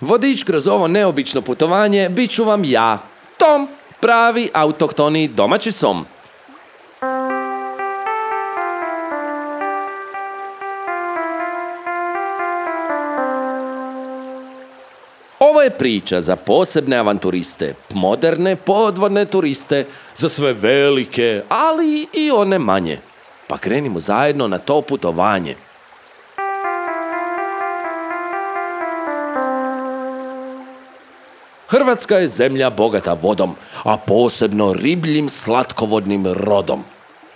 Vodič kroz ovo neobično putovanje bit ću vam ja, Tom, pravi autohtoni domaći som. Ovo je priča za posebne avanturiste, moderne podvodne turiste, za sve velike, ali i one manje. Pa krenimo zajedno na to putovanje. Hrvatska je zemlja bogata vodom, a posebno ribljim slatkovodnim rodom.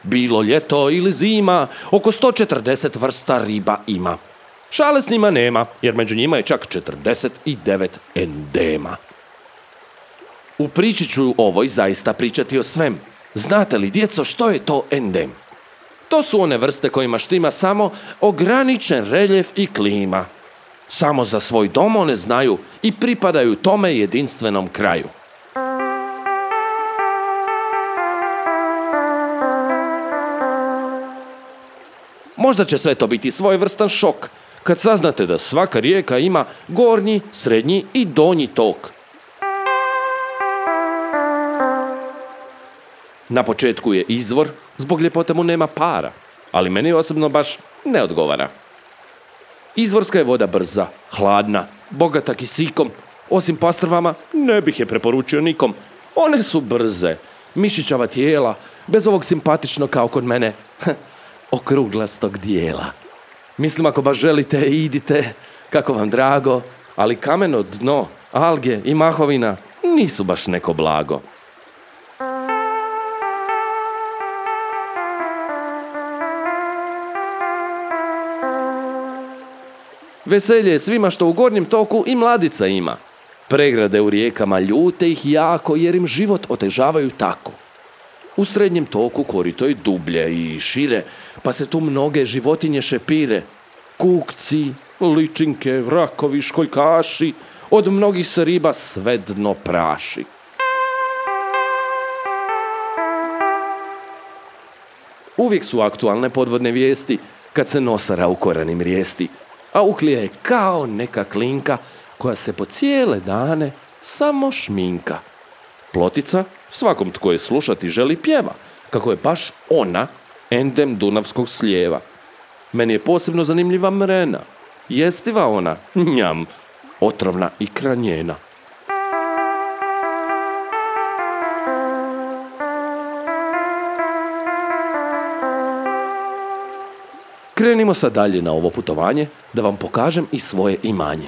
Bilo ljeto ili zima, oko 140 vrsta riba ima. Šale s njima nema, jer među njima je čak 49 endema. U priči ću ovoj zaista pričati o svem. Znate li, djeco, što je to endem? To su one vrste kojima štima samo ograničen reljef i klima. Samo za svoj dom one znaju i pripadaju tome jedinstvenom kraju. Možda će sve to biti svojevrstan šok kad saznate da svaka rijeka ima gornji, srednji i donji tok. Na početku je izvor, zbog ljepote mu nema para, ali meni osobno baš ne odgovara. Izvorska je voda brza, hladna, bogata kisikom. Osim pastrvama, ne bih je preporučio nikom. One su brze, mišićava tijela, bez ovog simpatično kao kod mene okruglastog dijela. Mislim, ako baš želite, idite, kako vam drago, ali kameno dno, alge i mahovina nisu baš neko blago. Veselje je svima što u gornjem toku i mladica ima. Pregrade u rijekama ljute ih jako jer im život otežavaju tako. U srednjem toku korito je dublje i šire, pa se tu mnoge životinje šepire. Kukci, ličinke, rakovi, školjkaši, od mnogih se riba sve dno praši. Uvijek su aktualne podvodne vijesti kad se nosara u koranim rijesti, a uhlija je kao neka klinka koja se po cijele dane samo šminka. Plotica svakom tko je slušati želi pjeva, kako je baš ona endem dunavskog slijeva. Meni je posebno zanimljiva mrena, jestiva ona, njam, otrovna i kranjena. Krenimo sad dalje na ovo putovanje da vam pokažem i svoje imanje.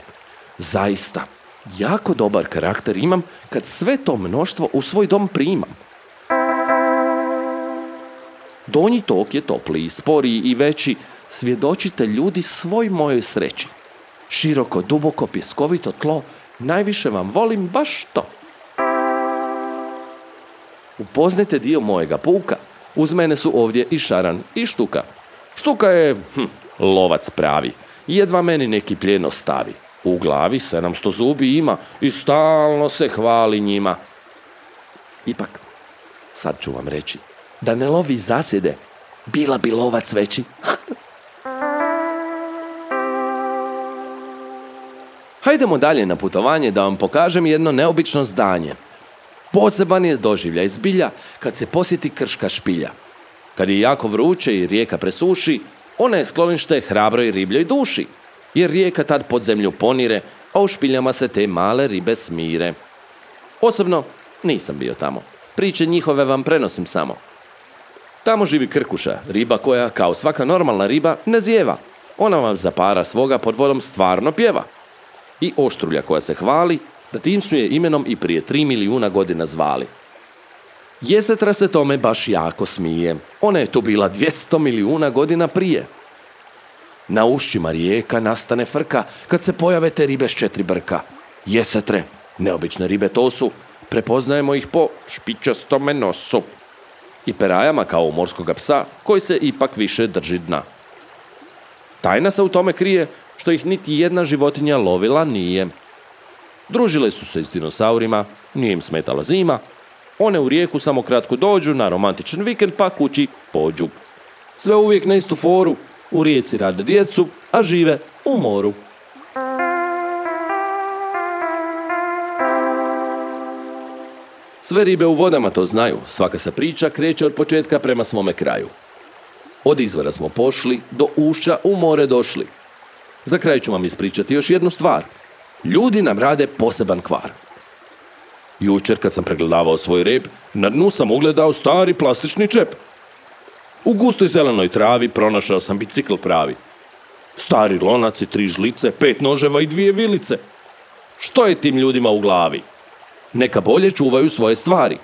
Zaista, jako dobar karakter imam kad sve to mnoštvo u svoj dom primam. Donji tok je topliji, sporiji i veći, svjedočite ljudi svoj mojoj sreći. Široko, duboko, pjeskovito tlo, najviše vam volim baš to. Upoznajte dio mojega puka, uz mene su ovdje i šaran i štuka. Štuka je lovac pravi, jedva meni neki plijen ostavi. U glavi 700 zubi ima i stalno se hvali njima. Ipak, sad ću vam reći, da ne lovi zasjede, bila bi lovac veći. Hajdemo dalje na putovanje da vam pokažem jedno neobično zdanje. Poseban je doživljaj zbilja kad se posjeti krška špilja. Kad je jako vruće i rijeka presuši, ona je sklonište hrabroj ribljoj duši, jer rijeka tad pod zemlju ponire, a u špiljama se te male ribe smire. Osobno nisam bio tamo. Priče njihove vam prenosim samo. Tamo živi krkuša, riba koja, kao svaka normalna riba, ne zijeva. Ona vam za para svoga pod vodom stvarno pjeva. I oštrulja koja se hvali, da tim su je imenom i prije 3 milijuna godina zvali. Jesetra se tome baš jako smije. Ona je tu bila 200 milijuna godina prije. Na ušćima rijeka nastane frka kad se pojave te ribe s 4 brka. Jesetre, neobične ribe to su, prepoznajemo ih po špičastome nosu i perajama kao u morskoga psa koji se ipak više drži dna. Tajna se u tome krije što ih niti jedna životinja lovila nije. Družile su se s dinosaurima, nije im smetala zima, one u rijeku samo kratko dođu na romantičan vikend pa kući pođu. Sve uvijek na istu foru, u rijeci rade djecu, a žive u moru. Sve ribe u vodama to znaju, svaka se priča kreće od početka prema svome kraju. Od izvora smo pošli, do ušća u more došli. Za kraj ću vam ispričati još jednu stvar. Ljudi nam rade poseban kvar. Jučer kad sam pregledavao svoj rep, na dnu sam ugledao stari plastični čep. U gustoj zelenoj travi pronašao sam bicikl pravi. Stari lonac i 3 žlice, 5 noževa i 2 vilice. Što je tim ljudima u glavi? Neka bolje čuvaju svoje stvari.